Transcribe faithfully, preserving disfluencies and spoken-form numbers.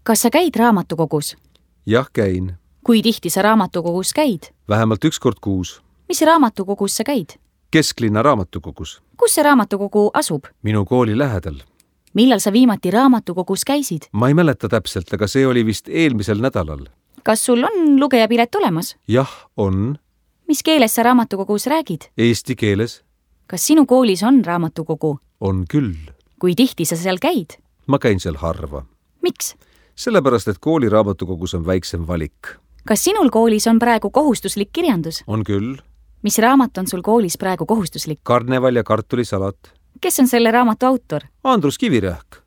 Kas sa käid raamatukogus? Jah, käin. Kui tihti sa raamatukogus käid? Vähemalt üks kord kuus. Mis raamatukogus sa käid? Kesklinna raamatukogus. Kus see raamatukogu asub? Minu kooli lähedal. Millal sa viimati raamatukogus käisid? Ma ei mäleta täpselt, aga see oli vist eelmisel nädalal. Kas sul on lugejapilet olemas? Jah, on. Mis keeles sa raamatukogus räägid? Eesti keeles. Kas sinu koolis on raamatukogu? On küll. Kui tihti sa seal käid? Ma käin seal harva. Miks? Sellepärast, et kooli raamatukogus on väiksem valik. Kas sinul koolis on praegu kohustuslik kirjandus? On küll. Mis raamat on sul koolis praegu kohustuslik? Karneval ja kartulisalat. Kes on selle raamatu autor? Andrus Kivirähk.